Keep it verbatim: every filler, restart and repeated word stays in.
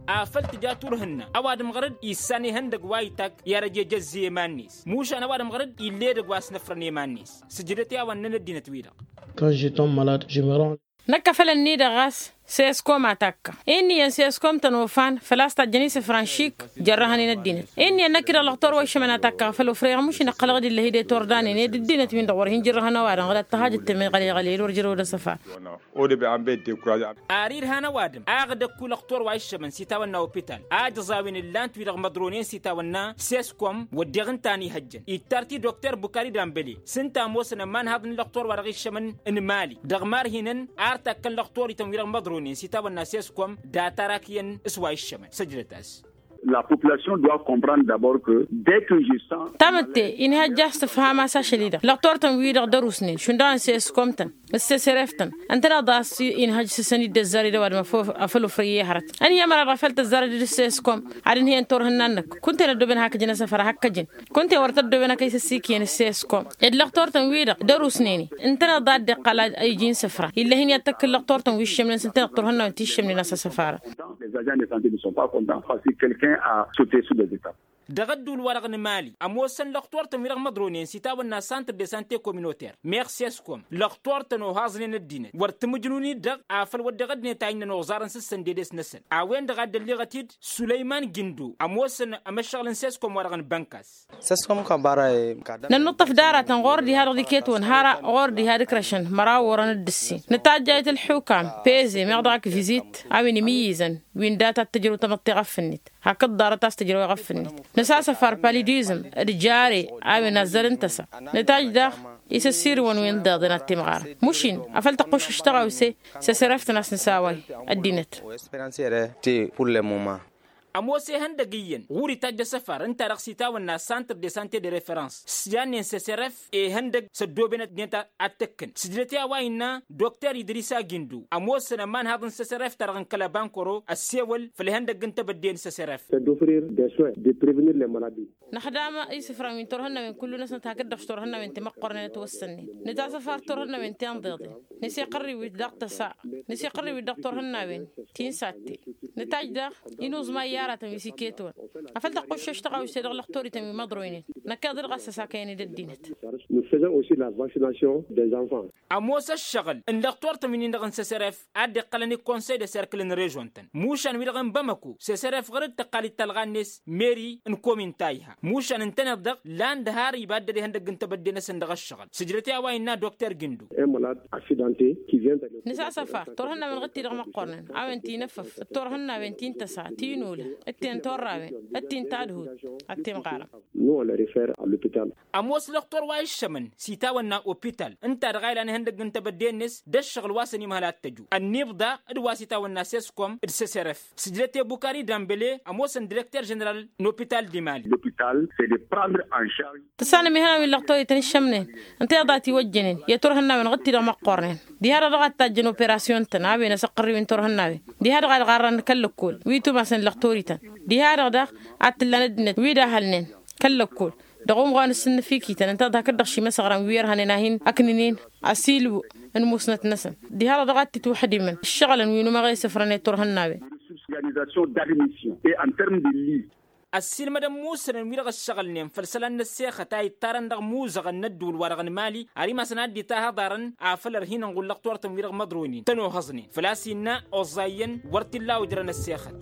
afăl tǝja turhǝnna ăwadǝm ɣăr-dd issan ihăndăg wa itak i-ad-ăj ejăzzi i-iman-net. Mušan ăwadǝm ɣăr-dd ill'-e edăgg wa s-năfrăn i-iman-net. Sǝjdăt i-a-wa ǝnnăn ăddinăt-wi-dăɣ. Năkk a făl ǝnni-dăɣ ɣas seskom a takka. Inn'-iyyăn seskom-tăn ofan făl-a-s tajjăn isǝfran šik. Jărrăhăn-in ăddinăt inn'-iyyăn năkk-i-dăɣ lăxtor wa iššămăn a takka făl ofrăyăɣ mušin ǝqqălăɣ-dd illăh-i d-e-turdanen ed ăddinăt-win-dăɣ wăr hin-jărrăhăn ăwadǝm ɣǝd ad-tăhajăt temăɣăleɣăl i-dd wăr jărăwăd asăfar. Odăbe an bed tekkuraza. Ar irhan ăwadǝm a ăɣdăkku lăxtor wa iššămăn s-itawănna opital a ǝjẓawen ǝllan-t wi-dăɣ măḍronen s-itawănna seskom wădden ǝnta a n-ihăjjăn ittar-t-i dokter bukari dambăle. S-ǝnta ămoosăn ămanhaḍ n-lăxtor wa dăɣ-iššămăn n-imali dăɣ-imarhinăn ar takkăn lăxtorităn wi-dăɣ măḍronen s-itawănna seskom data-ra akǝyăn s-wa iššămăn săjdăt-as. La population doit comprendre d'abord que dès que je sens. Tamǝtte inhăjja s-tǝfham a-s ašăl-i-dăɣ lăxtor-tăn-wi-dăɣ d-ărusnen šund dăɣ-nǝseskom-tăn s-sesăref-tăn. Ǝntăneḍ a-s inhăj s-săn-dd ăzzar i-dăɣ ăwadǝm a făl ofrăy i-hărăt. Ănhăyăm ăra dăɣ-făl tăzzarăd d-seskom ad-ǝnhăyăn turhǝnna-năk kunta-en ăddooben hakăjăn asăfar hakăjăn. Kunta-en wăr tăddooben ad-kăy-săssikǝyăn seskom ed lăxtor-tăn-wi-dăɣ d-ărusnen-i. Ǝntăneḍ a dd-iqqăl a iji n-isǝfra ill'-e hin-i ad-tăkk n-lăxtor-tăn wi ǝššămnen s-ǝntăneḍ turhǝnnawen ti ǝššămnen a-s asăfar. Les agents de santé ne sont pas contents parce que quelqu'un a sauté sur des étapes. Dăɣ-ădduul-wa-dăɣ n-imali ămoosăn lăxtor-tăn wi-dăɣ măḍronen s-itawănna santr de sante communautaire meɣ seskom lăxtor-tăn ohaẓnen ăddinăt wăr tǝmǝjnun-dd-dăɣ. Afăl wădden ăddinăt a innăn oẓarăn s-ǝssănded-es-năsăn. A-wen dăɣ-a dd-ălliɣăt-dd sulăyman gindo ămoosăn amăššăɣǝl n-seskom-wa-dăɣ n-bănkas. Nănnuṭṭăf d-aratăn ɣur-dd iha dăɣ-dd-iket-wăn har-a ɣur-dd iha d-ǝkrăšăn măraw orăn d-ǝssin nǝtajjayăt ǝlḥukam peze meɣ dăɣ-ak vizit a-wen imǝyyǝzăn wi n-data t-tǝjrǝw tamăḍt iɣăf-net. Hakd ḍarăt a-s tǝjrăw iɣăf-net nǝsasăfar palidizm d-jare a-wen azzăr n-tăsa. Nǝtaj daɣ isǝssirǝwăn wi n-iḍeḍen ad-t-imɣarăn mušin afăl tăqquššăš tăɣawse s-esărăftăn a-s nǝsaway ăddinăt. Ămoos ihăndăg iyyăn ɣur-itajj asăfar ǝnta-dăɣ s-itawănna santr de sante de referăns s-jannen s-esărăf ihăndăg s-ăddooben ăddinăt ad-tăkkăn sǝjdăt i-a-wa innă dokter idrisa gindu ămoosăn ămanhaḍ n-săsărăf-ta-dăɣ n-kăl-ăbankăro ăssewăl făll-ihăndăgg n-tebădde n-săsărăf. Năxdam isǝfran wi n-turhǝnnawen kullu-năsnăt hakd-dăɣ s-turhǝnnawen ti măqqornen ătwăssănnen nǝtasăfar turhǝnnawen ti ănḍeḍen nǝsiqărriwit dăɣ-tăsa nǝsiqărriwit dăɣ-turhǝnnawen ti n-satte. Nǝtaj daɣ inuẓmay i-aratăn wi s-iket-wăn afăl tăqquššăš tăɣawse dăɣ-lăxtorităn wi măḍroynen. Năkkeḍ-i-dăɣ a-s ăsakăyăn-dd ăddinăt. Ămoos ăššăɣǝl n-lăxtor-tăn wi-nin-dăɣ n-săsăref a dd-iqqălăn i-konsăy d-aserkǝl n-režon-tăn mušan wi-dăɣ n-bamăko săsăref ɣăr-dd tăqqal-dd talɣa-net meri n-komin tayha mušan ǝntăneḍ-dăɣ lan d-har iba dd-ihăndăgg n-tebădde-năsăn dăɣ-ăššăɣǝl sǝjdăt i-a-wa innă dokter gindu. Nǝsasăfar turhǝnnawen ɣǝd-ti-dăɣ măqqornen a-wen ti n-efăf d-turhǝnnawen ti n-tăsa ti n-ulǝh d-ti n-turrawen d-ti n-tadhut ad-t-imɣarăm. Ămoos lăxtor wa iššămăn s-itawănna opital ǝnta-dăɣ a ilan ihăndăgg n-tebădde-net d-ăššăɣǝl wa s-ănimhăl ad-t-ăju ănniibḍa d-wa s-itawănna seskom d-săsărăf. Sǝjdăt i-bukari dambăle ămoosăn direkter ženeral n-opital d-imali. Tǝssanăm ihănan wi n-lăxtorităn iššămnen ǝnta iḍa a tiwăjjănen i-turhǝnnawen ɣǝd-ti-dăɣ măqqornen diha-dăɣ dăɣ-a t-tajjăn operasyon-tăn a-wen asăqqărriw-in turhǝnnawen diha-dăɣ a dd-ɣarrăn kăl-lăkkol wi tumasăn lăxtorităn diha-dăɣ daɣ ad-t-ǝllan ăddinăt wi d-ahălnen kăl-lăkkol dăɣ-umɣan s-ǝnnǝfikităn ǝnta-dăɣ hakd-dăɣ šimăsăɣran wi ărhănen a hin-ăknǝnen asilǝw n-musnăt-năsăn diha-dăɣ daɣ ad-t-itwăḥdimăn ǝššăɣǝlăn wi n-umăɣ i-isǝfrăn i-turhǝnnawen. Ăssiilmădăn musănăn wi-dăɣ ăššăɣǝlnen făll-isălan n-ăssexăt a ittarăn dăɣ-imuzăɣăn n-ădduul-wa-dăɣ n-imali ar imasăn ad-dd-itahăḍarăn afăl ărhinăn ɣur-lăxtor-tăn wi-dăɣ măḍronen tăn-ohăẓnen făl-a-s innă oẓẓayyăn wăr t-illa ojrăn ăssexăt.